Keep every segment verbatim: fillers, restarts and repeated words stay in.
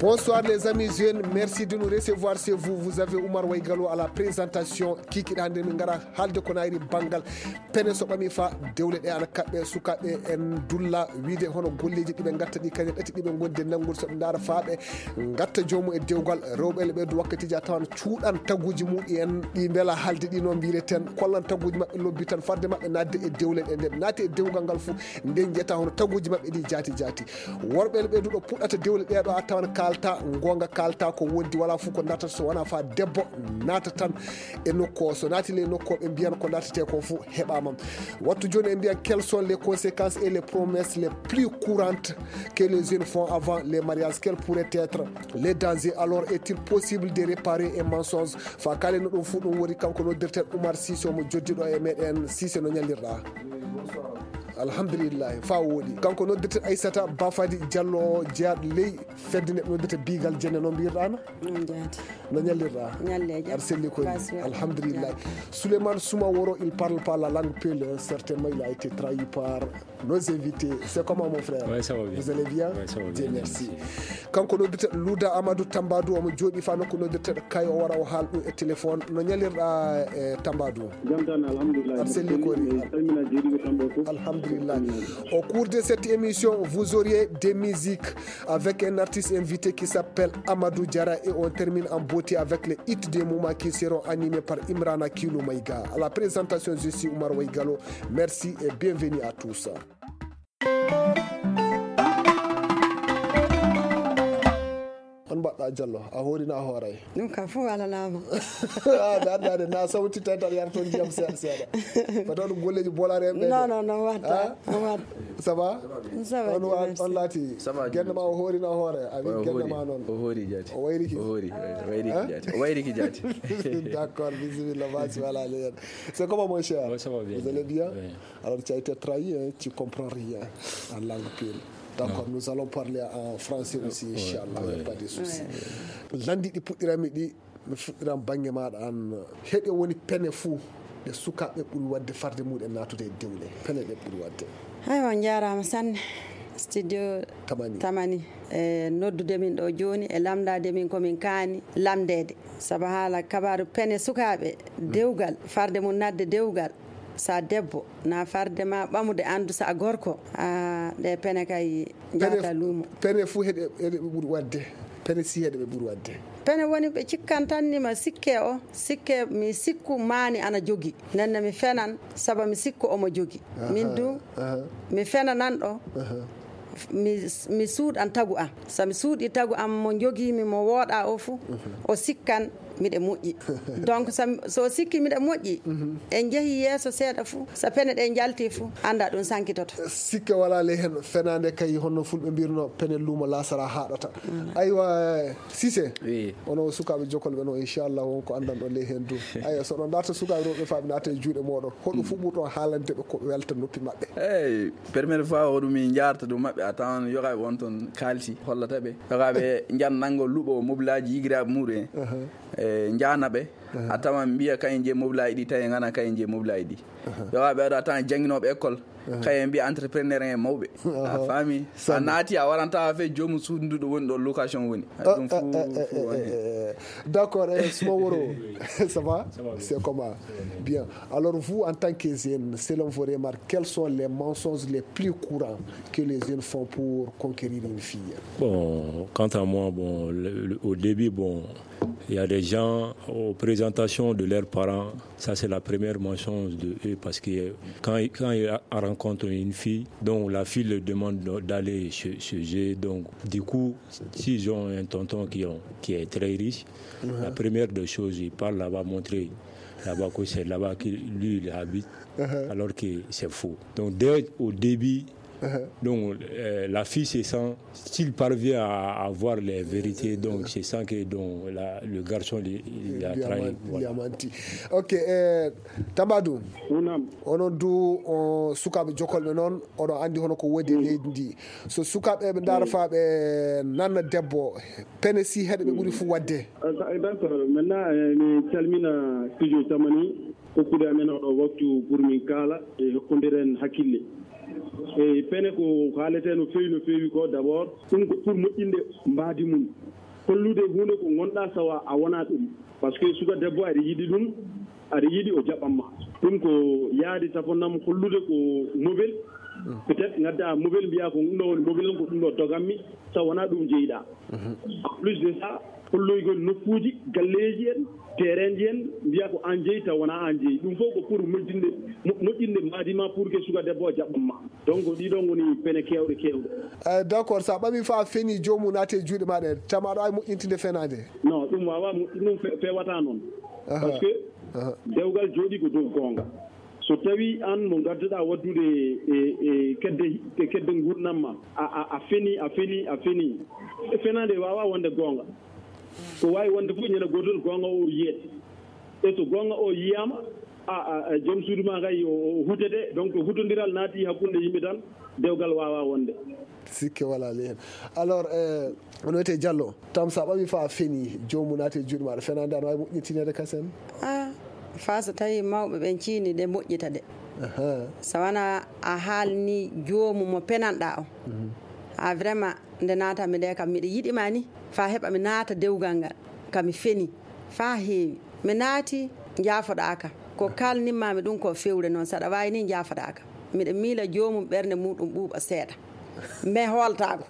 Bonsoir les amis jeunes, merci de nous recevoir chez vous. Vous avez Oumar Waygalo à la présentation. Kikiɗa hannde min ngara haalde ko nayri banngal pene so ɓami fa dewle ɗe ana kaɓɓe. Sukaaɓe en dulla wiide hono golleeji ɗiɓe ngatta ɗi kañe ɗati ɗiɓe ngondi e nanngol so ɓe ndaara fa ɓe ngatta joomu e dewgal. Rewɓe le ɓeydu wakkatiji a tawan cuuɗan taguji muɗi en ɗi mbela haalde ɗi no mbireten, kollan taguji maɓɓe lobbi tan farde maɓɓe naatde e dewle ɗe. Nde ɓe naati e dewgal ngal fof nden jeyata hono taguji maɓɓe ɗi jaati jaati. Worɓe le ɓeyduɗo puɗɗata dewle ɗeɗo a tawan kalta goonga, kalta ko wondi, wala fof ko dartata so wona fa debbo naata tan e nokku o. So naati le nokku o ɓe mbiyan ko dartete ko fof heɓama. Wattu joni e mbiyan quelles sont les conséquences et les promesses les plus courantes que les jeunes font avant les mariages? Quels pourraient être les dangers? Alors est-il possible de réparer un mensonge? Fa kalen no ɗum fof ɗum woni kanko noddirten Oumar Cissé omo joddi ɗo e meɗen. Cissé, no ñallirɗa? Alhamdulillahi fa wooɗi. Kanko noddirten Aissata Bafadi Diallo jeyaɗo ley fedde neɗɗo noddirta biigal jenne, no mbirɗa no? No jaati? No ñallirɗa? Ñalleejo. Aɗa selli koy? Alhamdulillahi. Souleymane Soumaworo, il parle pas la langue peul, certainement il a été trahi par nos invités. C'est comment mon frère? Ouais, ça va bien. Vous allez bien? Ouais, ça va bien, merci. Kanko noddirta Louda Amadou Tambadou, omo jooɗi fa nokku noddirta Kay, o wara o haal ɗum e téléphone. No ñallirɗa e Tambadou? Jam tan, alhamdulillah. Aɗa selli koy? Mi salmina jeeɗiɓe kamɓe fof. Alhamdulillah. Au cours de cette émission, vous auriez des musiques avec un artiste invité qui s'appelle Amadou Diarra et on termine en beauté avec les hits des moments qui seront animés par Imrana Kilo Maïga. À la présentation, je suis Oumar Waïgalo. Merci et bienvenue à tous. On mbaɗɗa Diallo, a hoorina a hooray? Ɗum ka fof alalaama. Ah, da da na sauti tantar yar ton diyam seeɗa seeɗa. Fata on golleji bolare en ɓe. Non, non, non, watta. Ah? Watta. Ça va? Ça va, on wa on lati. Ça va, gende ma o hoorina hoore, a wi gende ma non. O hoori jaati. O wayriki. O hoori, o wayriki jaati. O wayriki jaati. D'accord, bismillah, vas-y, voilà, allez. C'est comment mon cher? Ouais, ça va bien. Vous allez bien? Oui. Alors tu as été trahi, hein, tu comprends rien en langue peul. D'accord, nous allons parler en français aussi, inchallah, il n'y a pas de souci. Lanɗi ɗi puɗɗirami ɗi mi fuɗɗiran bannge maɗa an. Heɗe woni pene fuu ɗe sukaaɓe ɓuri waɗde farde muɗen naatude e dewle. Pene ɗe ɓuri waɗde. Aywa, on njaaraama sanne. Studio Tamani. Tamani. E noddude min ɗo jooni, e lamndaade min ko min kaani lamndeede. Sabu haala kabaaru pene sukaaɓe, dewgal, farde mum naatde dewgal. Sa debbo, na farde ma ɓamude anndu sa gorko. A, ɗe pene kay njaata luumo. Pene fof heɗe, heɗe ɓe ɓuri waɗde. Pene si heɗe ɓe ɓuri waɗde. Pene woni ɓe cikkan tan ni ma sikke o, sikke mi sikku maani ana jogi. Nenne mi fenan, saba mi sikku omo jogi. Min du, mi fenanan ɗo. Mi, mi suuɗan tagu am. So mi suuɗii tagu am mo njogiimi, mo wooɗaa o fuu, o sikkan miɗe moƴƴi. Donc, so, so o sikki miɗe moƴƴi, en njehii yeeso seeɗa fuu, so pene ɗe njaltii fuu, annda ɗum sankitoto. Sikke walaa ley heen, fenaande kay, honno fulɓe mbirno, pene luumo laasara haaɗata. Aywa, Cissé, oui, onon sukaaɓe jokolɓe noon, inchallah, won ko anndanɗon ley heen du. Aywa, so oɗon ndaarta sukaaɓe rewɓe faa ɓe naata e juuɗe mooɗon, hoɗo fuu ɓurɗon haalande ɓe ko welta noppi maɓɓe? Eeyi, première fois o ɗum min njaarta ɗum maɓɓe, a tawan yogaaɓe won toon kaalti, hollata ɓe. Yogaaɓe njan nanngo luɓo mobilaaji yigiraaɓe muɗum en. E njaana ɓe, a tawan mbiya kayen je mobilaaji ɗi, tawi ngana kayen je mobilaaji ɗi. Yogaaɓe aɗa tawan jannginooɓe école, kayen mbiya entrepreneur en mawɓe. A faami? A naati, a waranta fe joomu suudu ndu ɗo woni ɗo location woni. Ɗum fuu, fuu woni heen. D'accord, eh, Suma Woro, ça va? Ça va bien. C'est comment? Ça va bien. Bien. Alors vous, en tant que jeune, selon vos remarques, quels sont les mensonges les plus courants que les jeunes font pour conquérir une fille? Bon, quant à moi, bon, le, le, au début, bon, il y a des gens, aux présentations de leurs parents, ça c'est la première mensonge de eux, parce que quand, quand ils rencontrent une fille, donc la fille leur demande d'aller chez, chez eux, donc du coup, s'ils ont un tonton qui, ont, qui est très riche, la première des choses, ils partent là-bas montrer là-bas que c'est là-bas que lui il habite, alors que c'est faux. Donc dès au début, donc euh, la fille se sent, s'il parvient à, à voir les vérités, donc se sent que donc, la, le garçon il, il a trahi. Voilà. Ok, eh, Tambadou. Naam. Onon du on sukaaɓe jokolɓe noon, oɗon anndi hono ko woodi e leydi ndi. So sukaaɓe ɓe ndaara faa ɓe nanna debbo, pene si heɗe ɓe ɓuri fuu waɗde. D'accord, maintenant, eh, mi calmina studio Tamani, hokkude amen oɗo waktu pour min kaala e hokkondiren hakkille. E pene ko haalete no feewi, no feewi ko d'abord, ɗum ko pour moƴƴinde mbaadi mum. Hollude huunde ko ngonɗaa tawa a wonaa ɗum. Parce que suka debbo aɗa yiɗi ɗum, aɗa yiɗi o jaɓan ma. Ɗum ko yaade tafanam hollude ko mobel. Peut-être ngadda mobel mbiya ko ɗum ɗo woni mobel am, ko ɗum ɗo doganmi, tawa wonaa ɗum jeyiɗaa. En plus de ça, holloygol nokkuuji, galleeji en, terrainji en, mbiya ko aan jeyi, tawa wonaa aan jeyi. Ɗum fof ko pour moƴƴinde, mo-, moƴƴinde maadi ma pour que suka debbo o jaɓan ma. Donc, ɗiɗo ngoni pene keewɗe, keewɗe. Eh, d'accord, so a ɓami fa a feni, joomum naati e juuɗe ma ɗe, tama aɗa waawi moƴƴintinde fenaande? Non, ɗum waawaa moƴƴin, ɗum fe-, fewataa noon. Aha. Parce que aha, dewgal jooɗi ko dow goonga. So tawi aan mo ngadduɗaa waddude e, e kedde, e kedde nguurndam ma, a, a, a feni, a feni, a feni. E fenaande waawaa wonde goonga. Ko waawi wonde fof ñande gootol goonga o yiyete. E so goonga o yiyaama, a, a, a, joom suudu ma kay o, o hutete. Donc, hutondiral naati hakkunde yimɓe tan, dewgal waawaa wonde. Sikke walaa ley heen. Alors, eh, on wiyetee Diallo, tama so a ɓami fa a feni, joomum naati e juuɗe ma, aɗa fenaande, aɗa waawi moƴƴintineede kasen? Ah, fa so tawi mawɓe ɓen ciini ɗe moƴƴita ɗe. Aha. So wonaa a haalni joomum mo penanɗaa o. Mhm. A vraiment, nde naatanmi nde kam, miɗo yiɗi ma ni, fa heɓa mi naata dewgal ngal, ka mi feni, fa heewi. Mi naati, njaafoɗaa ka. Ko kaalnimmaami ɗum ko fewre noon, saɗa waawi ni njaafoɗaa ka. Miɗo miila joomum ɓernde muɗum ɓuuɓa seeɗa. Mais hooltaako.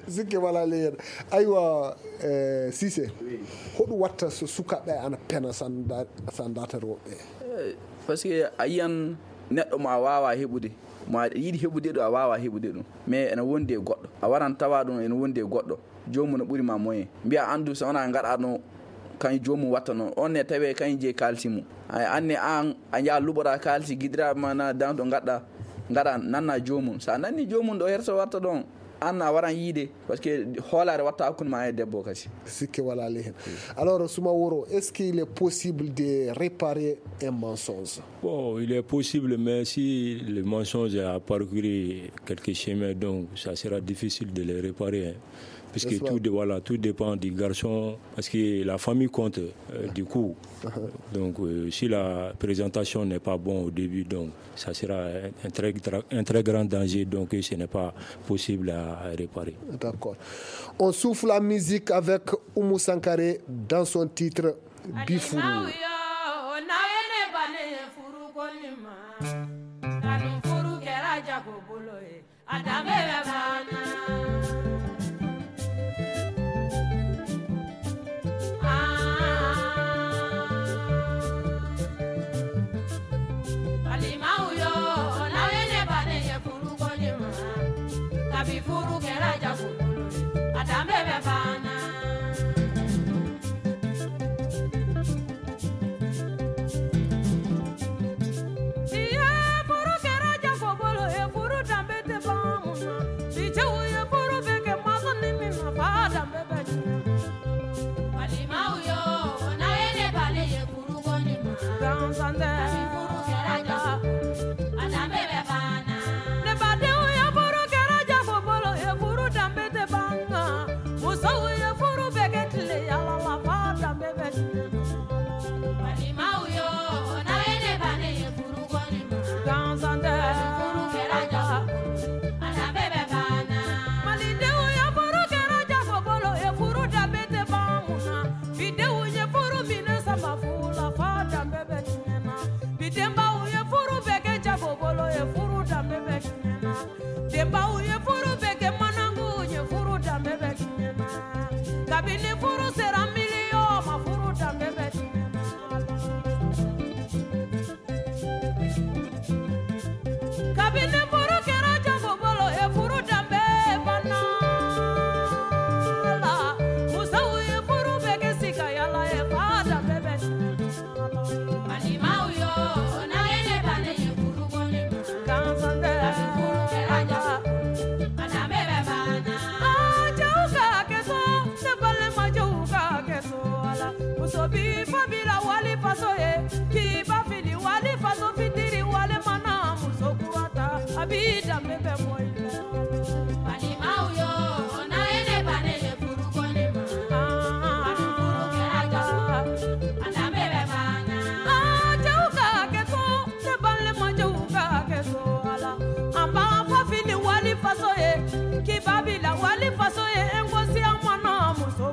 Sikke walaa ley heen. Aywa, eh, Cissé, oui, hoɗum watta so sukaaɓe ana pena sanda-, sandaata rewɓe? Eh, parce que a yiyan neɗɗo mo a waawaa heɓude, mo aɗa yiɗi heɓude ɗum, a waawaa heɓude ɗum. Mais ene wondi e goɗɗo. A waran tawa ɗum ene wondi e goɗɗo. Joomum no ɓuri ma moyen. Mbiya anndu so wonaa ngaɗa ɗum, kañ joomum watta noon. On ne tawee kañ jeyi kaalisi mum. Ay, anne aan, a njaha luɓoɗaa kaalisi giɗiraaɓe ma na dan to ngaɗɗa, ngaɗa nanna joomum. So a nanni joomum ɗo herso watta ɗon, aan a waran yiide. Parce que hoolaare watta hakkunde ma e debbo kasi. Sikke walaa ley heen. Alors, Suma Woro, est-ce qu'il est possible de réparer un mensonge? Bon, il est possible, mais si le mensonge a parcouru quelques chemins, donc ça sera difficile de les réparer, hein. Parce que tout dé-, voilà, tout dépend du garçon, parce que la famille compte, euh, du coup. Donc, euh, si la présentation n'est pas bonne au début, donc ça sera un, un très, tra-, un très grand danger, donc ce n'est pas possible à, à réparer. D'accord. On souffle la musique avec Oumou Sankaré dans son titre Bifuru. A danbe bɛ banna. Ah. Balimaw yo, n'aw ye ne bannen ye furu ko ɲuman, kabi furu kɛra jago bolo ye, a danbe bɛ banna. Furu kɛra jago bolo ye, furu danbe tɛ ban. Bi cɛw ye furu bɛ kɛ, masa ni min na, ba danbe bɛ tiɲɛ. Balimaw yo, n'a ye ne bali ye, furu ko ni ma. Gansan tɛ. Furu kɛra jago, a danbe bɛ banna. Ne badenw ye, furu kɛra jago bolo ye, furu danbe tɛ ban. Musow ye furu bɛɛ kɛ tile yaala la, ba danbe bɛ tiɲɛ. Balimaw yo, n'a ye ne bannen ye furu ko ni ma. Gansan tɛ. Furu kɛra jago, a danbe bɛ banna. Malidenw ye furu kɛra jago bolo ye, furu danbe tɛ ban mun na. Bidenw ye furu minɛ sama fu la, ba danbe bɛ tiɲɛ na. Bidenbaw ye furu bɛɛ kɛ jago bolo ye, furu danbe bɛ tiɲɛ na. Denbaw ye furu bɛɛ kɛ manangu ye, furu danbe bɛ tiɲɛ na. Kabini furu sera miliyɔn ma, furu danbe bɛ tiɲɛ na. Kabini furu kɛra jago bolo ye, furu danbe banna. Musow ye furu bɛɛ kɛ sikayala ye, ba danbe bɛ tiɲɛ na. Balimaw yo, n'a ye ne bannen ye furu ko ni ma. Gansan tɛ. Furu kɛra jago, a danbe bɛ banna. Aa, cɛw ka hakɛ to, ne balima cɛw ka hakɛ to a la. Muso b'i fa bila wali faso ye, k'i ba fili wali faso fitiri wali mana. Muso kura ta, a b'i danbe bɛ bɔ i la. Balimaw yo, n'a ye ne bannen ye furu ko ni ma. Furu kɛra jago, a danbe bɛ banna. Aa, cɛw ka hakɛ to, ne balima cɛw ka hakɛ to a la. An b'an fa fili wali faso ye, k'i ba bila wali faso ye, n ko siya mana muso.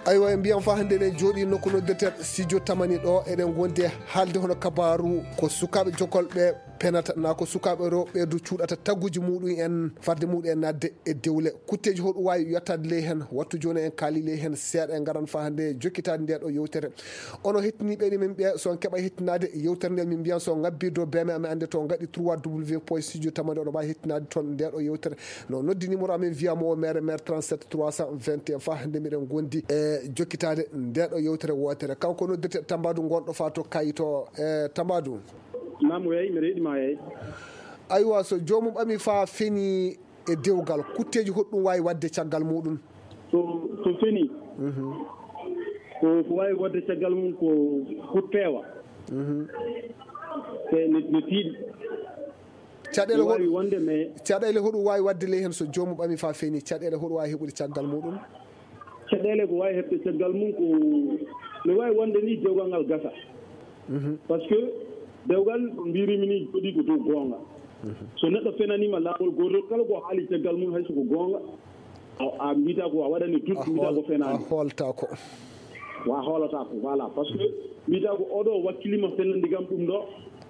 Aywa, en mbiyan fa hannde ne jooɗi nokku noddirteeɗo studio Tamani ɗo, eɗen ngondi e haalde hono kabaaru ko sukaaɓe jokolɓe penata, na ko sukaaɓe rewɓe du cuuɗata tagguji muɗum en, farde muɗum en naatde e dewle. Kutteeji hoɗum waawi yottaade ley heen? Wattu jooni en kaali ley heen seeɗa, en ngaran fa hannde jokkitaade nde ɗo yewtere. Ono hettiniiɓe ni min ɓe, so on keɓa hettinaade yewtere nde, min mbiyan so ngabbi dow B M amin annde to ngaɗi trois W point studio Tamani, oɗo mbaawi hettinaade toon nde ɗo yewtere. No noddi numéro amin via mo o mere mere trente-sept trois cent vingt et un, fa hannde miɗen ngondi e jokkitaade nde ɗo yewtere wootere. Kanko noddirte Tambadu gonɗo fa to Kayto. E Tambadu. Naam, yeey, mbiɗa heɗi ma, yeey. Aywa, so joomum ɓami fa feni e dewgal, kutteeji hoɗum waawi waɗde caggal muɗum? So, so feni, ko, ko waawi waɗde caggal mum ko hut peewa. Te ne, ne tiiɗi. Caɗeele hoɗum waawi wonde, mais caɗeele hoɗum waawi waɗde ley heen so joomum ɓami fa feni? Caɗeele hoɗum waawi heɓude caggal muɗum? Caɗeele ko waawi heɓde caggal mum ko, ne waawi wonde ni dewgal ngal gasa. Par ce que dewgal, mbirimi ni, jooɗi ko dow goonga. So neɗɗo fenaniima laawol gootol, kala ko haali caggal mum, hay so ko goonga, a, a mbiyata ko, a waɗani doute, mbiyata ko fenaani. A hoolata ko. Wa hoolata ko, voilà. Par ce que mbiyata ko oɗo wakkilima fenande kam ɗum ɗo.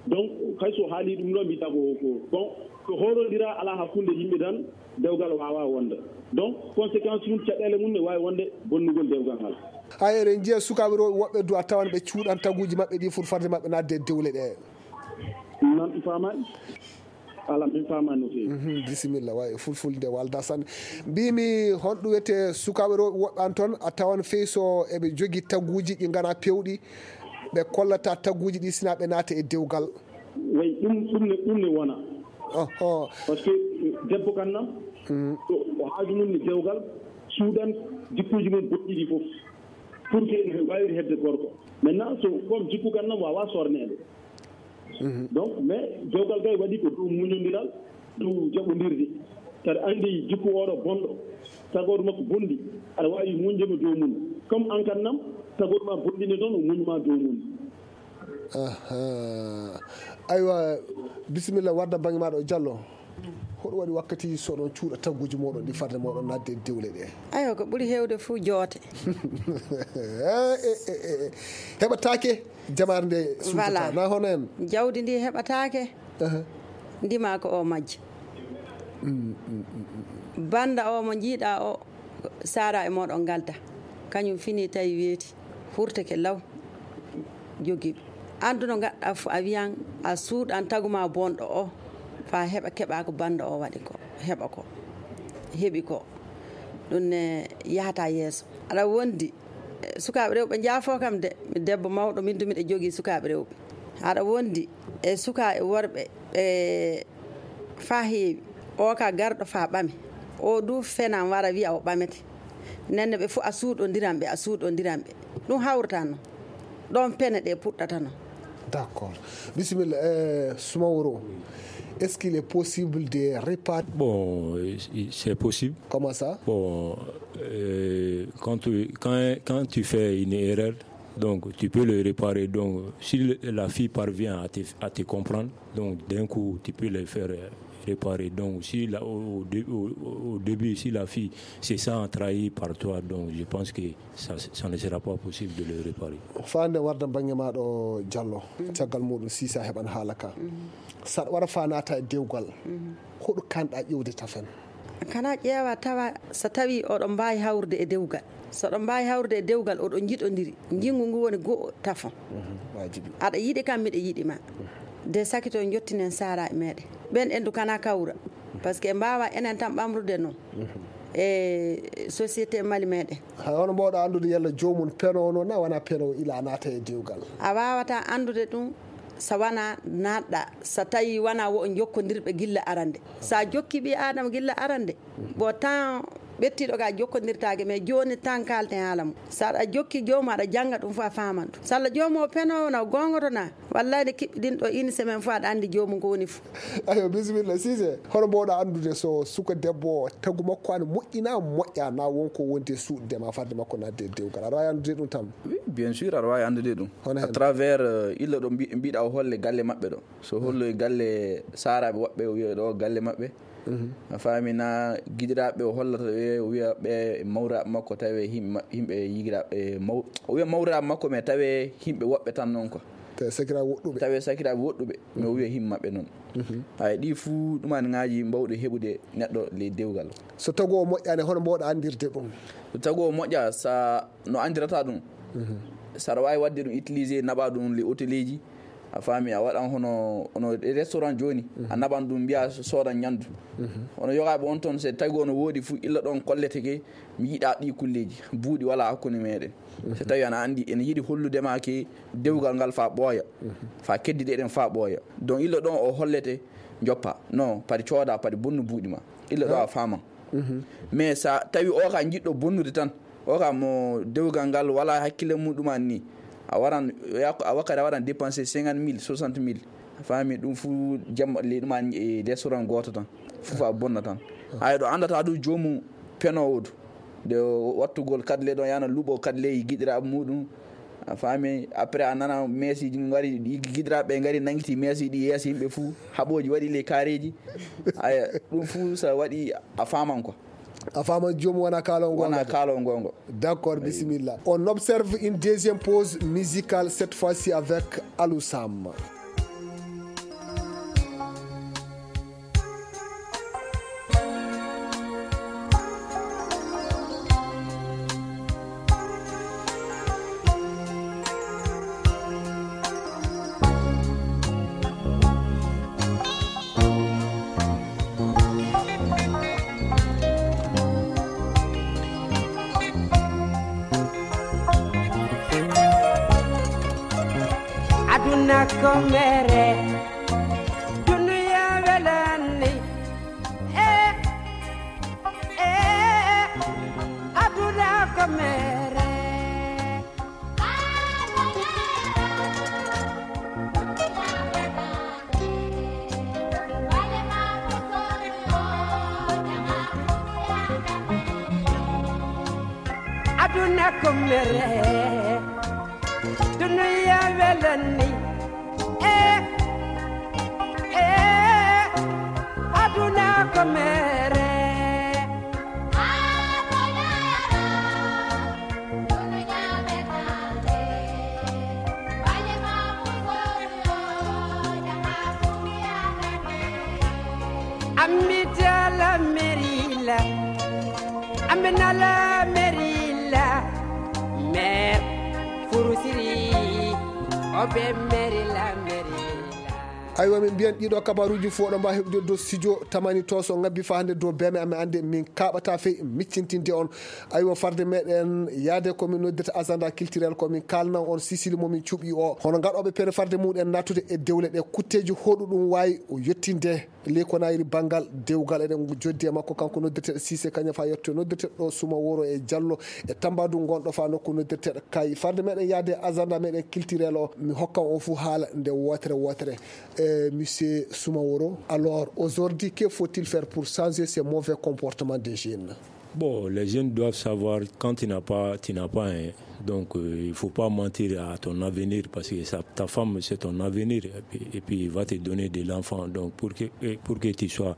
Donc, hay so haali ɗum ɗo, mbiyata ko, ko, bon, so hoorondira alaa hakkunde yimɓe tan, dewgal waawa wonde. Donc, conséquence mum, caɗeele mum ne waawi wonde bonnugol dewgal ngal. Hay eɗen njiya sukaaɓe rewɓe woɓɓe du a tawan ɓe cuuɗan taguuji maɓɓe ɗi fur farde maɓɓe naatde e dewle ɗe. Noon mi faamaani. Alaa, min faamaani no feewi. Mhm, bisimilla, way, fulfulde walda sanne. Mbimi, honɗum wiyetee sukaaɓe rewɓe woɓɓe an toon, a tawan fey so eɓe jogii taguuji ɗi nganaa peewɗi, ɓe kollata taguuji ɗi sina ɓe naata e dewgal. Way, ɗum, ɗum ne, ɗum ne wona. Oho. Par ce que, eh, debbo kan nam, ko, ko haaju mum ne dewgal, suuɗan jikkuuji mum bonɗi ɗi fof. Pour que ene waawiri heɓde gorko. Maintenant, so comme jikku kan nam waawaa sorneede. Donc, mais dewgal kay waɗi ko dow muñondiral, dow jaɓondirde. Saɗa anndi jikku oɗo bonɗo, tagooɗo makko bonɗi, aɗa waawi muñde mo dow mum. Comme an kan nam, tagooɗo ma bonɗi ne toon, o muñ ma dow mum. Aha. Aywa, bisimilla, wadda bannge maaɗa o Jallo. Hoɗo waɗi wakkati so oɗon cuuɗa tagguuji mooɗon ɗi farde mooɗon naatde e dewle ɗe? Aywa, ko ɓuri heewde fof joote. Eh, eh, eh, eh. Heɓataake, jamaare nde suutata. Voilà. Na hono en? Jawdi ndi heɓataake. Aha. Ndima ko o majji. Mm, mm, mm, mm. Bannda o mo njiiɗa o, saara e mooɗon ngalda. Kañum fini tawi weeti, hurteke law, jogii ɗum. Anndu no ngaɗɗa fof, a wiyan a suuɗan tagu ma bonɗo o, faa heɓa, keɓa ko bannda o waɗi ko, heɓa ko, heɓi ko. Ɗum ne yahata yeeso. Aɗa wondi, eh, sukaaɓe rewɓe njaafo kam de, mi debbo mawɗo, min du miɗa jogii sukaaɓe rewɓe. Aɗa wondi e sukaa e worɓe, ɓe faa heewi. O ka garɗo faa ɓame. O du fenan wara wiya o ɓamete. Nenne ɓe fof a suuɗondiran ɓe, a suuɗondiran ɓe. Ɗum hawrata noon. Ɗoon pene ɗe puɗɗata noon. D'accord. Bisimilla, eh, Soumaworo, est-ce qu'il est possible de réparer? Bon, c'est possible. Comment ça? Bon, euh, quand tu, quand, quand tu fais une erreur, donc tu peux le réparer. Donc, si le- la fille parvient à te, à te comprendre, donc d'un coup, tu peux le faire euh, réparer. Donc, si la- au, au dé- au- au- au début, si la fille se sent trahie par toi, donc je pense que ça, ça ne sera pas possible de le réparer. Faa nde warda bannge maaɗo Jallo, caggal muɗum Sisa heɓan haala ka. Saɗa wara faa naata e dewgal, hoɗo kanɗa ƴewde tafen? Kana ƴeewa tawa so tawi oɗon mbaawi hawrude e dewgal. So oɗon mbaawi hawrude e dewgal, oɗon njiɗondiri. Njinngu ngu woni go'o tafon. Mhm, waajibi. Aɗa yiɗi kam, miɗa yiɗi ma. De sakito njottinen saara e meɗen. Ɓen endu kana kawra. Parce que mbaawa enen tan ɓamrude noon. E société Mali meɗen. Hay hono mbawɗa anndude yalla joomum penowo noon na wona penowo ila naata e dewgal? A waawata anndude ɗum so wona naatɗa, so tawi wona wo jokkondirɓe gilla arande. Sa jokki ɓi Adama gilla arande, bon, temps ɓettiɗo ga jokkondirtaake, mais jooni tan kaalten haala mum. So aɗa jokki joomum, aɗa jannga ɗum fof, a faaman ɗum. So Allah joomum o penowo na, o goongoto na, wallay nde kiɓɓiɗin ɗo une semaine fof, aɗa anndi joomum ko woni fof. Ayo, bisimilla, Sise. Hono mbawɗa anndude so suka debbo tagu makko ana moƴƴina, moƴƴa, na wonko wondi e suuɗude ma, farde makko naatde e dewgal? Aɗa waawi anndude ɗum tan? Oui, bien sûr, aɗa waawi anndude ɗum. Hono hen? À travers, euh, illa ɗo mbi- mbiɗa o holle galle maɓɓe ɗo. So holloy galle saaraaɓe woɓɓe, o wiya ɗo galle maɓɓe. A faami na? Giɗiraaɓe o hollata ɓe, o wiya ɓe mawraaɓe makko, tawi himɓe ma-, himɓe yigiraaɓe maw-, o wiya mawraaɓe makko, mais tawi himɓe woɓɓe tan noon quoi. Tawi sakiraaɓe woɗɗuɓe. Tawi sakiraaɓe woɗɗuɓe, mais o wiya himɓe maɓɓe noon. Hay ɗi fuu ɗuman ŋaaji mbawɗi heɓude neɗɗo ley dewgal. So tagu o moƴƴaani, hono mboɗo anndirde ɗum? So tagu o moƴƴa, sa no anndirata ɗum. Saɗa waawi waɗde ɗum utilisé, naɓa ɗum ley hôteleeji. A faami, a waɗan hono, hono restaurant jooni, a naɓan ɗum, mbiya soodan ñamdu. Hono yogaaɓe on toon, so tawi ono woodi fuu, illa ɗoon kollete ke, mi yiɗa ɗi kulleeji. Buuɗi wala hakkunde meɗen. So tawi ana anndi, ene yiɗi hollude ma ke dewgal ngal fa ɓooya, fa keddiɗe ɗen fa ɓooya. Donc illa ɗoon o hollete, joppa. Non, padi cooda, padi bonnu buuɗi ma. Illa ɗo a faaman. Mais sa tawi o ka jiɗɗo bonnude tan, o ka mo dewgal ngal wala hakkille mum ɗuman ni, a waran, a wakkati a waran dépensé cinquante mille, soixante mille. A faami? Ɗum fuu jamma ley ɗuman e restaurant gooto tan. Fuu fa bonna tan. Hay ɗo anndata ɗum joomum penoowo du. De wattugol kadle ɗon, yana luɓo kadle e giɗiraaɓe muɗum. A faami? Après a nana meesiiji ngari, giɗiraaɓe ɓe ngari nangiti meesiiji ɗi yeeso yimɓe fuu. Haɓooji waɗi ley kaareeji. Aya, ɗum fuu sa waɗi a faaman quoi. A faaman joomum wona kaalo ngongo. Wona kaalo ngongo. D'accord, bisimilla. On observe une deuxième pause musicale, cette fois-ci avec Alou Sam. Aduna ko mere, dunuya welani. Eh, eh, aduna ko mere. Aduna ko mere, dunuya welani. Eh, eh, aduna ko mere. Amita la merila, amina la merila, mer furusiri, obe merila merila. Aywa, min mbiyan ɗiɗo kabaruuji fof ɗo mbawa heɓde dow studio tamani to, so ngabbi fa hannde dow beme amen, annde min kaɓata fey miccintinde on. Aywa, farde meɗen yaade ko min noddirta agenda culturel, ko min kalna on sisili mo min cuɓi o. Hono gaɗoɓe pere farde muɗen nattude e dewle ɗe, kutteji hoɗuɗum wawi o yettinde ley ko nayiri banngal dewgal, eɗen joddi e makko, kanko noddirteɗo Cissé Kagna fa yetto noddirteɗo ɗo Suma Woro e Diallo e Tambadou gonɗo fa nokku noddirteɗo Kay. Farde meɗen yaade agenda meɗen culturel o, mi hokkan on fuu haala nde wootere wootere. Eh, monsieur Soumaworo, alors aujourd'hui, que faut-il faire pour changer ces mauvais comportements des jeunes? Bon, les jeunes doivent savoir, quand tu n'as pas, tu n'as pas, hein. Donc, euh, il faut pas mentir à ton avenir parce que ça, ta femme, c'est ton avenir. Et puis, et puis, il va te donner de l'enfant. Donc, pour que, et pour que tu sois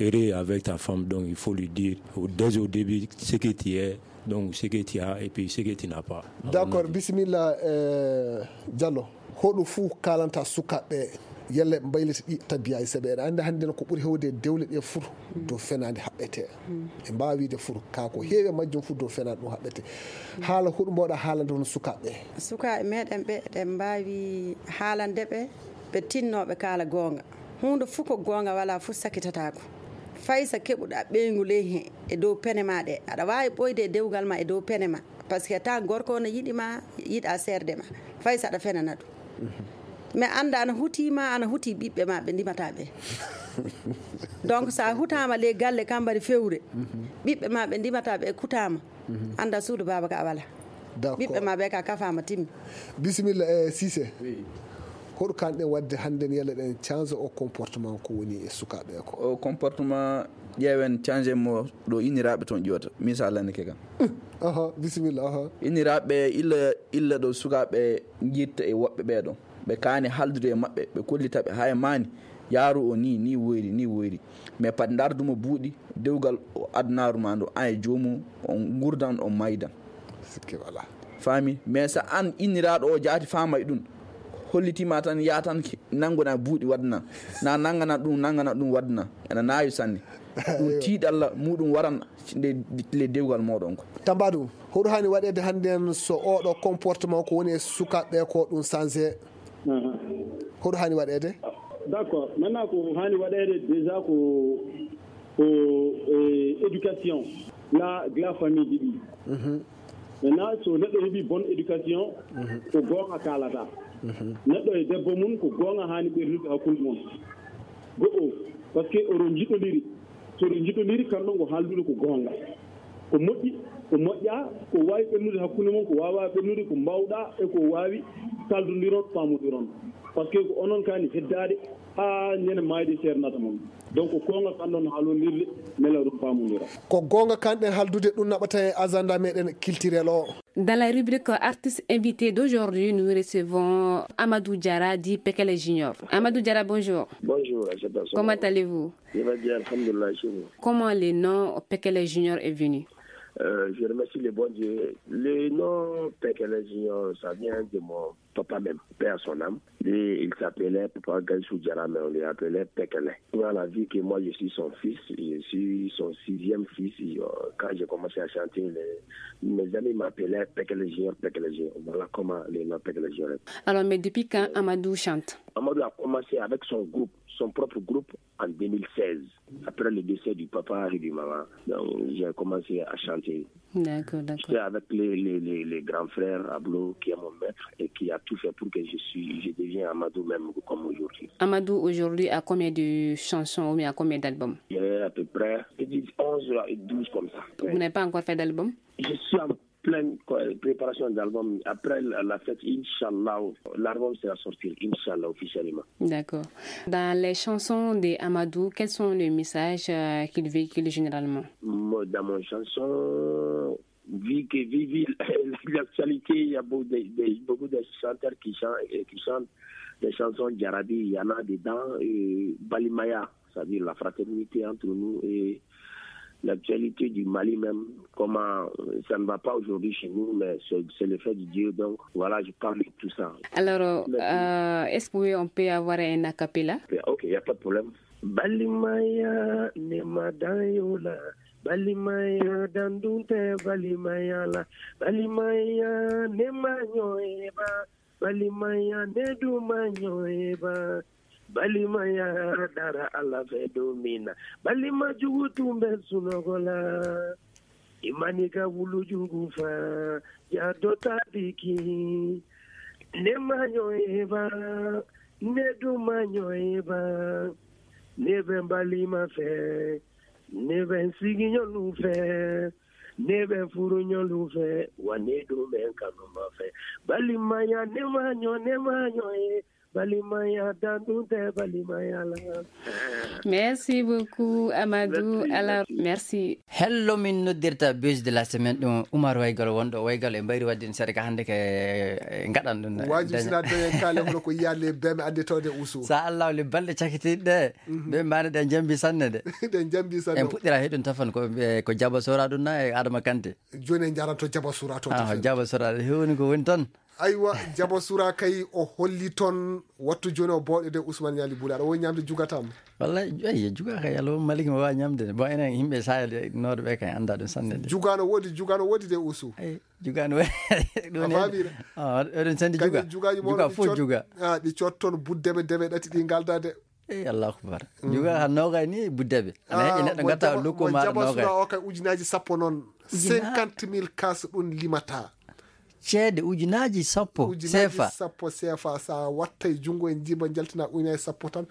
heureux avec ta femme, donc, il faut lui dire au, dès au début ce que tu es, donc, ce que tu as et puis ce que tu n'as pas. D'accord, bisimilla, eh, Diallo. Hoɗo fuu kalanta sukaaɓe, yalla ɓe mbaylita ɗi tabiya e saɓe. Eɗa anndi hannde noon ko ɓuri heewde e dewle ɗe fuu dow fenaande haɓɓete. Ɓe mbaawi wiide fuu ka ko heewi e majjum fuu dow fenaande ɗum haɓɓete. Haala hoɗo mbaawɗa haalande hono sukaaɓe? Sukaaɓe meɗen ɓe, eɗen mbaawi haalande ɓe, ɓe tinnooɓe kaala goonga. Huunde fuu ko goonga walaa fuu sakitataako. Fay so keɓuɗa ɓeyngu ley heen e dow pene ma ɗe, aɗa waawi ɓooyde e dewgal ma e dow pene ma. Parce que tan gorko o no yiɗi ma, yiɗa seerde ma. Fay so aɗa fenana ɗum. Mais annda ana huti ma, ana huti ɓiɓɓe ma ɓe ndimata ɓe. Donc so a hutama ley galle kambari fewre, ɓiɓɓe ma ɓe ndimata ɓe kutama, annda suudu baaba ka a wala. D'accord. Ɓiɓɓe ma ɓe ka kafama timmi. Bisimilla, eh, Cissé. Oui. Hoɗo kanɗen waɗde hannde yalla ɗen change o comportement ko woni e sukaaɓe ko? O comportement ƴeewen change mo ɗo inniraaɓe toon ƴiwata. Misal lannike kan. Aha, bisimilla, aha. Inniraaɓe illa, illa ɗo sukaaɓe njitta e woɓɓe ɓee ɗon. Ɓe kaani haaldude e maɓɓe, ɓe kollita ɓe haya maani. Yaaru o ni, ni woyri, ni woyri. Mais pad ndardumo buuɗi, dewgal o adunaaru ma ndu, an e joomum, on ngurdan, on maydan. Sikke wala. Faami? Mais so an inniraaɗo o jaati faamay ɗum, hollitima tan, ya tan ki-, nanngona buuɗi waɗna. Na nanngana ɗum, nanngana ɗum waɗna. Ena naawi sanne. Ɗum tiiɗalla muɗum waran nde, le dewgal moɗon ko. Tambadu, hoɗo hani waɗede hannden so oɗo comportement ko woni e sukaaɓe ko ɗum changé? Mhm. Hoɗo hani waɗede? D'accord. Maintenant, ko hani waɗede déjà ko, ko, eh, éducation. La, la famille ɗiɗi. Mhm. Maintenant, so neɗɗo heɓi bonne éducation, mhm, ko goonga kaalata. Mhm. Neɗɗo e debbo mum, ko goonga hani ɓernude hakkunde mum. Go'o, parce que oɗon njiɗondiri. So oɗon njiɗondiri, kamɗon ko haaldude ko goonga. Ko moƴƴi, ko moƴƴa, ko waawi ɓennude hakkunde mon, ko waawaa ɓennude, ko mbaawɗaa e ko waawi, kaldondiron, paamondiron. Parce que ko onon kaani heddaade haa ñande maayde seernata mon. Donc, ko goonga kanɗon haalondirde, mbela oɗon paamondira. Ko goonga kanɗen haaldude, ɗum naɓata e agenda meɗen culturel o. Dans la rubrique artiste invité d'aujourd'hui, nous recevons Amadou Diarra, dit Pekele Junior. Amadou Diarra, bonjour. Bonjour, Aïssata Sow. Comment allez-vous? Je vais bien, alhamdoulillahi, chez vous. Comment le nom Pekele Junior est venu? Euh, je remercie le bon Dieu. Le nom Pekele Junior, ça vient de mon papa même, paix à son âme. Lui, il s'appelait Papa Gaïsou Diarra, mais on lui appelait Pekele. Voilà, vu que moi, je suis son fils, je suis son sixième fils, euh, quand j'ai commencé à chanter, les, mes amis m'appelaient Pekele Junior, Pekele Junior. Voilà comment le nom Pekele Junior est. Alors, mais depuis quand Amadou chante? Amadou a commencé avec son groupe, son propre groupe, en deux mille seize, après le décès du papa et du maman. Donc, j'ai commencé à chanter. D'accord, d'accord. J'étais avec les, les, les, les grands frères Ablo, qui est mon maître et qui a tout fait pour que je suis, je deviens Amadou même comme aujourd'hui. Amadou aujourd'hui a combien de chansons ou bien a combien d'albums? Il y a à peu près, je dis onze et douze comme ça. Vous n'avez pas encore fait d'album? Je suis en pleine co-, préparation d'album. Après la, la fête, Inch'Allah, l'album sera sorti, Inch'Allah, officiellement. D'accord. Dans les chansons de Amadou, quels sont les messages, euh, qu'il véhicule généralement? Mo-, dans mon chanson, vu que, vu, vu l'actualité, il y a beaucoup de, de, beaucoup de chanteurs qui chantent, euh, qui chantent des chansons djarabi, il y en a dedans, euh, Balimaya, c'est-à-dire la fraternité entre nous et l'actualité du Mali même, comment, euh, ça ne va pas aujourd'hui chez nous, mais c'est, c'est le fait de Dieu. Donc voilà, je parle de tout ça. Alors, merci. Euh, est-ce que oui, on peut avoir un a cappella? Ok, il n'y a pas de problème. Balimaya ne madayola, Balimaya dandunte Balimaya la, Balimaya ne manyo eba, Balimaya ne du manyo eba. Balimaya dara ala fe domina. Balima jugu tumbe sunogola. Imani ka wulu jugu fa. Ya dota biki. Ne manyo eba. Ne du manyo eba. Ne ben balima fe. Ne ben siginyolu fe. Ne ben furunyolu fe. Wa ne du men kanuma fe. Balimaya ne manyo, ne manyo e. Balimaya dandunte Balimaya la. Merci beaucoup, Amadou. Merci, alors, merci. Hello, min noddirta buzz de la semaine, ɗum Oumar Waygal wonɗo Waygal e mbayri wadde en seeɗa ka hannde ke, eh, ngaɗan ɗum. Waji sina doyen kale hono ko yiya le beme ande tawde usu. Sa Allah le balɗe cakitiɗe. Mhm. Be mbaane ɗen jambi sanne de. Ɗen jambi sanne. En puɗɗira he ɗum tafan ko, eh, ko Jaba Sora ɗum na e Adama Kante. Joni en jaranto Jaba Sora to. Ah, Jaba Sora hewni ko woni ton. Aywa, Jaba Sura kay o holli toon wattu jooni o booɗe de Ousmane Ñaali Buule. Aɗa wowi ñamde jugatam? Wallay, eyyi, juga kay, Alla maliki mo waawi ñamde. Bon, enen yimɓe Sahel nooɗo ɓe kay annda ɗum sanne de. Juga no woodi, juga no woodi de Ousou. Eyyi, juga no woodi. Ɗum a faamira? Ah, eɗen sanndi juga. Juga fof juga. Ah, ɗi cot toon buddeɓe deɓe ɗati ɗi ngalda de. Eyyi, Allahu akbar. Mhm. Juga han noogay ni buddeɓe. Ana heƴi neɗɗo mo gata Jaba, lukku mo maɗa Jaba noogay. Sura o kay ujunaaji sappo noon. Ujunaaji? Cinquante mille kas ɗum limata. Ceede ujunaaji sappo. Ujunaaji sefa. Sappo sefa. Sa wattay junngo e njiiba njaltina ujunaaji sappo tan,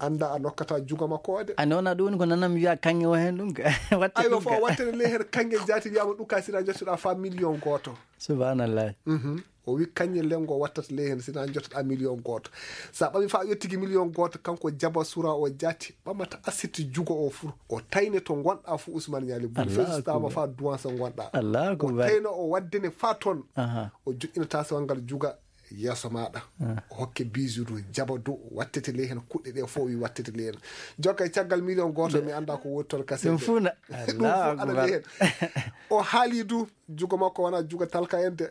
annda a nokkata juga makko o de. A nona ɗum woni ko nanam wiya kanŋe o hen ɗum. Watte aywa, ɗum fof ka. Wattene ley hen kanŋe jaati wiyama ɗum ka sina jottoɗa fa million gooto. Subhanallah. Mhm. O wi kanŋe lengo wattata ley hen sina jottoɗa million gooto. Sa ɓami fa yettigi million gooto, kanko Jaba Sura o jaati ɓamata asiti jugo o fur. O tayne to gonɗa fu Ousmane Ñaali Bun. Allahu akbar. Fesutama fa duwansa gonɗa. Allahu akbar. O tayno o waddene fa toon. Aha. O joƴƴinata sewal ngal juga. Yeeso maɗa, hokke bijoux du, jaba du, wattete ley hen, kuɗɗe ɗe fof wi wattete ley hen. Jokka e caggal million goto, mi anda ko woni toon kasi. Ɗum fof na- Allahu akbar. O haali du, jugo makko wona jugo talka en de.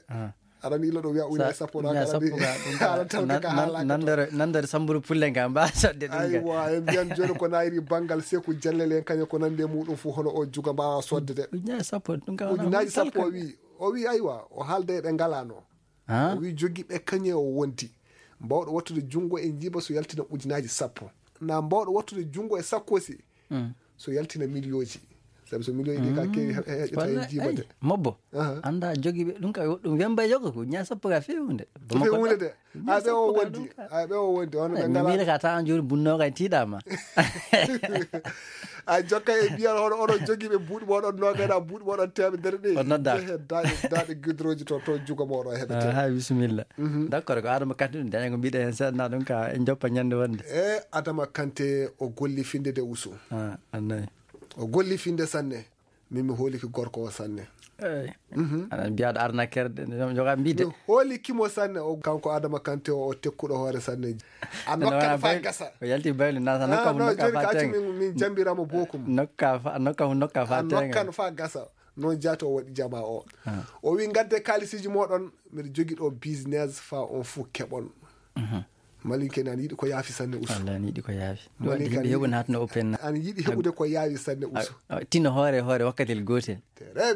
Aɗa ila ɗo wiya ujunaaji sappo ɗo, ujunaaji sappo ga ɗum ka ala talka ka haalaaka. Nandere samburu pulle nga mba sodde ɗum ga. Aywa, en mbiyan joni ko nayri bangal seku jallele en kañum ko nande muɗum fu hono o juga mbawa sodde de. Ujunaaji sappo ɗum ka wona ujunaaji sappo. O wi, o wi aywa, o haalda e ɓe ngalano. O wi jogiiɓe kañe o wondi. Mbawɗo wattude junngo e njiiba so yaltina ujunaaji sappo. Na mbawɗo wattude junngo e sakkosi so yaltina miliyooji. Sabi so miliyooji ɗi ka keewi heƴata e njiiba de. Mobbo, anda jogiiɓe ɗum ka ɗum wemba yoga ko ujunaaji sappo ka feewunde. Feewunde de. Ay ɓe o wondi, ay ɓe o wondi, on ɓe ngala. Mila ka ta an joni bunnoga e tiiɗama. A jokka e mbiyal hono oɗon jogiiɓe buuɗi moɗon nogaɗa buuɗi moɗon temedere ɗi. On nodda. Jehe daɗe daɗe gudroji to to jugo moɗon heɓete. Ha bisimilla. D'accord, ko Adama Kante ɗum daña ko mbiɗa hen seeɗa ɗum ka en joppa ñande wonde. E Adama Kante o golli finde de usu. Ah, annayi. O golli finde sanne. Min mi hooliki gorko o sanne. Eyi. Aɗa mbiyaɗo arnaqueur de joga mbide. Mi hooliki mo sanne o kanko Adama Kante o o tekkuɗo hoore sanne. A nokkan fa gasa. O yalti baylu nasa nokka mo nokka fa tenga. Min jambiramo bokum. Nokka fa nokka mo nokka fa tenga. Nokkan fa gasa. Noon jaati o waɗi jama o. O wi ngadde kalisiji moɗon mbiɗa jogi ɗo business fa on fu keɓon. Malinke ne ana yiɗi ko yaafi sanne usu. Wallay ana yiɗi ko yaafi. Ɗum waɗi yimɓe heɓude hatno o penna. Ana yiɗi heɓude ko yaawi sanne usu. Tino hoore hoore wakkatel gootel.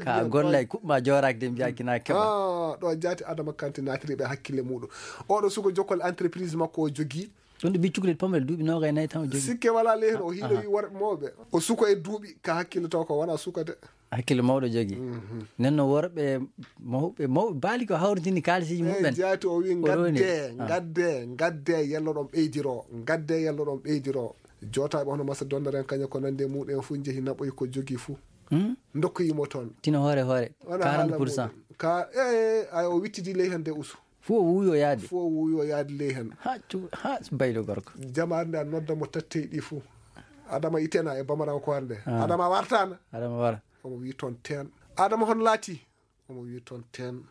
Ka gollay kuɓma jooraaki de mbiya kina keɓa. Ɗo jaati Adama Kante naatiri ɓe hakkille muɗum. Oɗo suko jokkol entreprise makko o jogii. Ɗum ɗo mbi cukalel pamrel duuɓi noogay nayi tan o jogii. Sikke wala lehen o hiiɗoyi worɓe mawɓe. O suko e duuɓi ka hakkille taw ko wona suka de. Hakkille mawɗo jogii. Nden no worɓe mawɓe mawɓe baali ko hawritini kaalisiiji muɓɓen. Jaati o wi ngadde ngadde ngadde yalloɗon ɓeydiro ngadde yalloɗon ɓeydiro. Jootaɓe hono masa dondaren kaña ko nande muɗum en fof jeehi naɓoyi ko jogii fof. Dokkoyimo toon tino hoore hoore. Quarante pour cent ka e ay o wittidi ley hande usu. Fof o wuuyo yaade. Fof o wuuyo yaade ley hen. Ha cu ha baylo gorko. Jamaare nde a nodda mo tattey ɗi fof. Adama itena e bamarankoore nde. Adama wartana. Adama wara. Omo wi toon teen. Adama hon laati. Omo wi toon teen.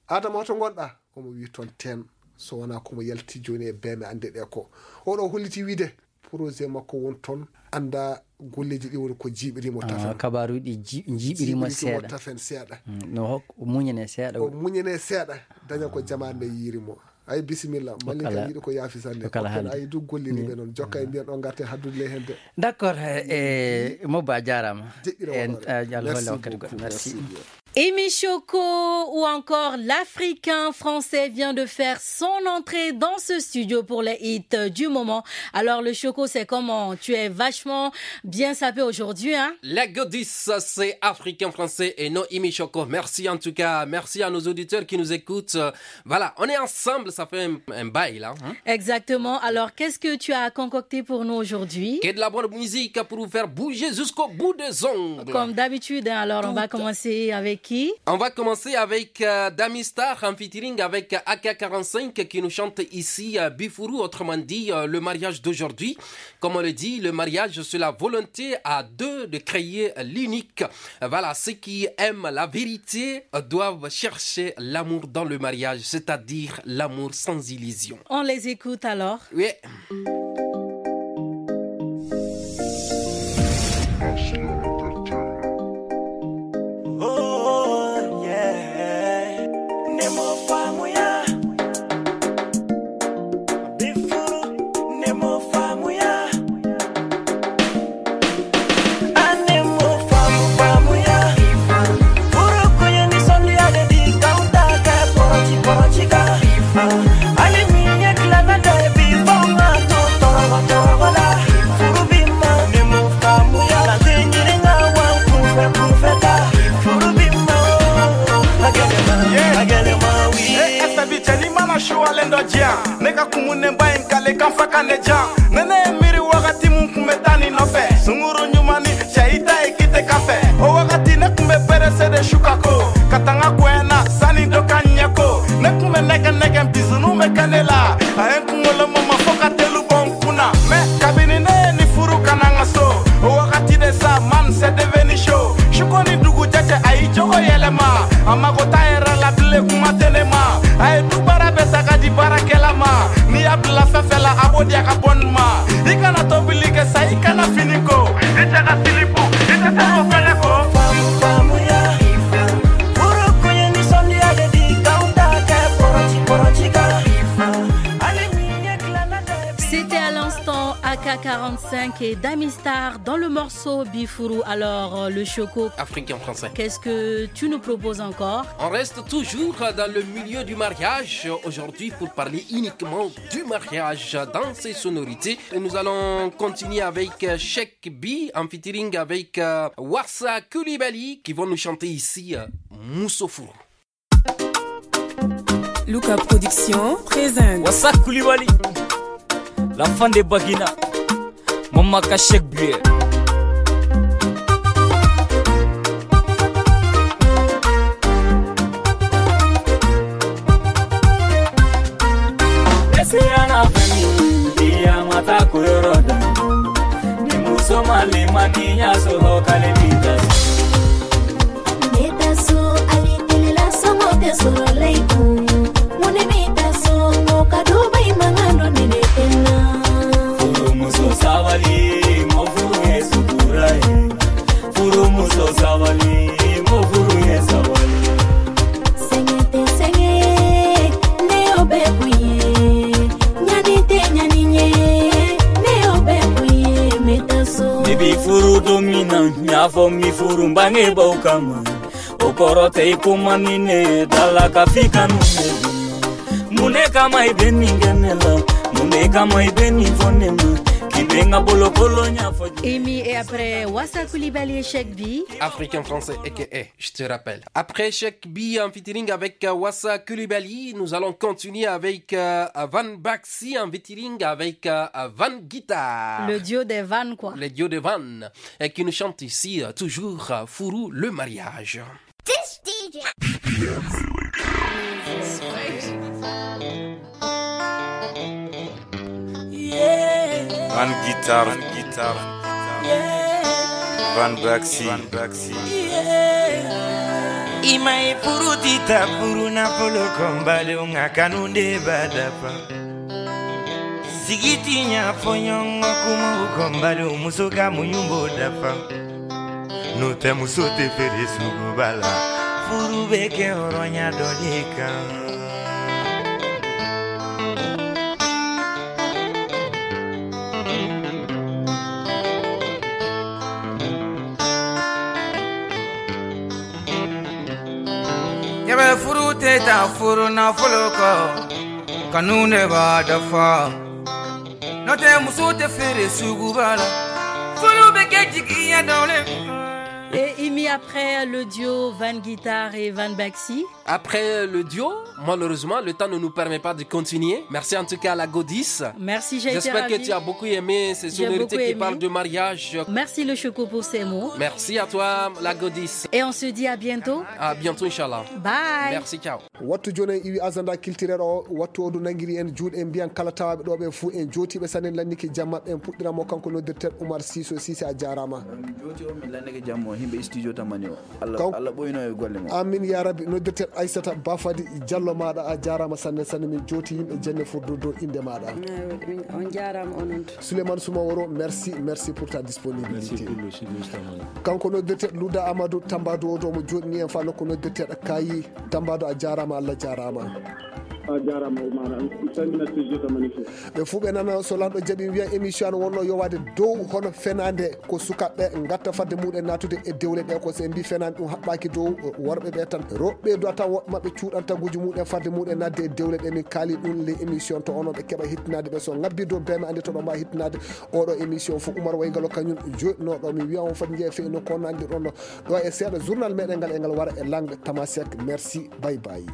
Adama hoto gonɗa. Omo wi toon teen. So wona komo yalti joni e beme ande ɗe ko oɗo holliti wiide projet makko won toon. Anda golleji ɗi woni ko jiiɓirimo tafen. Kabaruɗi jiiɓirimo seeɗa tafen seeɗa. No hok muñene seeɗa o muñene seeɗa. Daña ko jamaande yiirimo. Ay bisimilla malli kan yiɗi ko yaafi sanne. Ay du golliri ɓe noon jokka e mbiyan ɗo garte haddude ley hende. D'accord. E mobba jarama. Jeɗɗira en. Alholla wakkati goɗɗo merci. Imi Choco ou encore l'Africain français vient de faire son entrée dans ce studio pour les hits du moment. Alors le Choco, c'est comment? Tu es vachement bien sapé aujourd'hui, hein? Les godis, c'est Africain français et non Imi Choco. Merci en tout cas, merci à nos auditeurs qui nous écoutent. Voilà, on est ensemble, ça fait un, un bail là. Exactement. Alors qu'est-ce que tu as concocté pour nous aujourd'hui? Que de la bonne musique pour vous faire bouger jusqu'au bout des ongles. Comme d'habitude, hein, alors on va commencer avec qui? On va commencer avec euh, Dami Star en featuring avec A K quarante-cinq qui nous chante ici euh, Bifuru, autrement dit euh, le mariage d'aujourd'hui. Comme on le dit, le mariage c'est la volonté à deux de créer l'unique. Voilà, ceux qui aiment la vérité doivent chercher l'amour dans le mariage, c'est-à-dire l'amour sans illusion. On les écoute alors. Oui. Suwalen dɔ diya ne ka kumun ne ba in kale kan fa kan ne jan ne ne ye miiri wagati mun kun bɛ taa ni nɔfɛ sunguru ɲuman ni cɛ i ta ye kite kafe o wagati ne kun bɛ perese de su ka ko ka tanga koyana sani dɔ ka ɲɛ ko ne kun bɛ nɛgɛ nɛgɛ bisunu bɛ kɛ ne la a ye n kunkolo mama fo ka telu bɔ n kun na mais kabini ne ye ni furu kana n ka so o wagati de sa man c'est devenu chaud suko ni dugu jɛ cɛ a y'i jogo yɛlɛma a mago t'a yɛrɛ la bilen kuma tɛ ne ma a ye du baara bɛɛ ta ka di baara Ka fela abodi aka bon ma. I kana tobili ke sa i kana fini ko. I te ka silipu, i te tamo fele ko. Famu, famu ya. Furu kuye ni sondi ade di kaunda ke porochi, porochi ka. C'était à l'instant A K quarante-cinq et Damistar dans le morceau Bifuru. Alors, euh, le Choco, Afrique en français. Qu'est-ce que tu nous proposes encore ? On reste toujours dans le milieu du mariage aujourd'hui pour parler uniquement du mariage dans ses sonorités. Et nous allons continuer avec euh, Cheikh B en featuring avec euh, Warsa Coulibaly qui vont nous chanter ici euh, Moussofou. Luka Production présente. Wasa Koulibaly, la fan de Bagina, Mama Kachek Buer. Eseyana fami, iya mata kuyoro da. Ni muso mali mani ya so ho kale ni da. Meta so ali tilila so mo te so laiku. Mune meta so mo ka dubai mangano ni ne tena. Furu muso sawali, mo furu e sutura e. Furu muso sawali, mo furu e sawali. Sengete senge, ne obe kuye. Nyani te nyani nye, ne obe kuye, meta so. Bibi furu domina, nyafo mi furu mbange bokama. Okoro te ikuma nine, dala kafika nune. Mune kama ibeni ngenela, mune kama ibeni fonema. Kibenga bolo kolo nyafo. Imi et après, Wasa Koulibaly et Cheikh B. Africain français, A K A, je te rappelle. Après Cheikh B en featuring avec euh, Wasa Koulibaly, nous allons continuer avec euh, Van Baxi en featuring avec euh, Van Guitar. Le duo des Van, quoi. Le duo des Van, et qui nous chante ici euh, toujours euh, Fourou le mariage. This D J. Van Guitar, Van Guitar, Van Baxi, Van Baxi. Ima e furu tita furu na folo kombali unga kanunde badafa. Sigiti nya fonyo ngo kuma ukombali umusuka munyumbo dafa. Nute musute fere sugu bala. Furu beke oronya dolika. Yebe furu teta furu na fuluko. Kanune ba dafa. Note musute fere sugu bala. Fulu beke jiki ya dole. Et Imi après le duo Van Guitar et Van Baxi. Après le duo, malheureusement, le temps ne nous permet pas de continuer. Merci en tout cas à la Godis. Merci, j'ai été ravie. J'espère que tu as beaucoup aimé ces sonorités qui parlent de mariage. Merci le Choco pour ces mots. Merci à toi, la Godis. Et on se dit à bientôt. À bientôt, Inch'Allah. Bye. Merci, ciao. Wattu jooni en iwi agenda culturel o, wattu o du nangiri en juuɗe, en mbiyan kala tawaaɓe ɗo ɓe fuu, en jootiiɓe sanne, en lannike jam maɓɓe, en puɗɗiran mo kanko noddirteeɗo Oumar Cissé. Cissé, a jaaraama. Min jooti o, min lannike jam o, himɓe studio tamani o. Allah, Allah ɓoyno e golle mo. Amin ya rabbi. Noddirteeɗo Aissata Bafadi Diallo maaɗa, a jaaraama sanne sanne, min jooti yimɓe jenne foddo dow innde maaɗa. Eywa, min, on jaaraama onon to. Souleymane Soumaworo, merci, merci pour ta disponibilité. Merci pour le studio tamani. Kanko noddirteeɗo Louda Amadou Tambadou o ɗo mo jooɗini en fa nokku noddirteeɗo Kayi. Tambado, a jaaraama, Allah jaaraama. A jaaraama, Oumar. Mi salmina studio tamani fof. Ɓe fuu ɓe nana so lanɗo jaɓi wiya émission an wonno yowaade dow hono fenaande ko sukaaɓe ngatta fadde muɗen naatude e dewle ɗe, ko so en mbi fenaande ɗum haɓɓaaki dow worɓe ɓe tan. Rewɓe do ata woɓɓe maɓɓe cuuɗan taguuji muɗen fadde muɗen naatde e dewle ɗe. Min kaali ɗum les émissions to onon ɓe keɓa hittinaade ɓe so ngabbi dow bee maɓɓe ande to ɗo mbawa hittinaade oɗo émission fof. Oumar Waygalo kañum joɗɗinooɗo mi wiya on foti njeeya fe no ko nanndi ɗon ɗo e seeɗa journal meɗen ngal e ngal wara e langue tamasek. Merci, bye bye.